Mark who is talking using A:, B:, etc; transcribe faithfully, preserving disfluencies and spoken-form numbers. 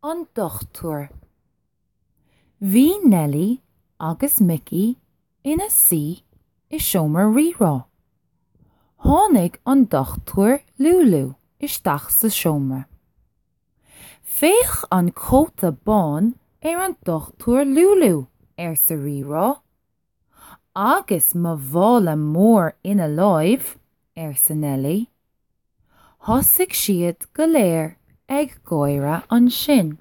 A: An Dochtúir. Bhí Nellie agus Mickey ina suí i seomra Rírá. Tháinig an Dochtúir Lúlú isteach sa seomra. Féach an cóta bán ar an Dochtúir Lúlú arsa Rírá. Agus mo mhála mór ina láimh arsa Nellie. Thosaigh siad go léir ag gáire ansin.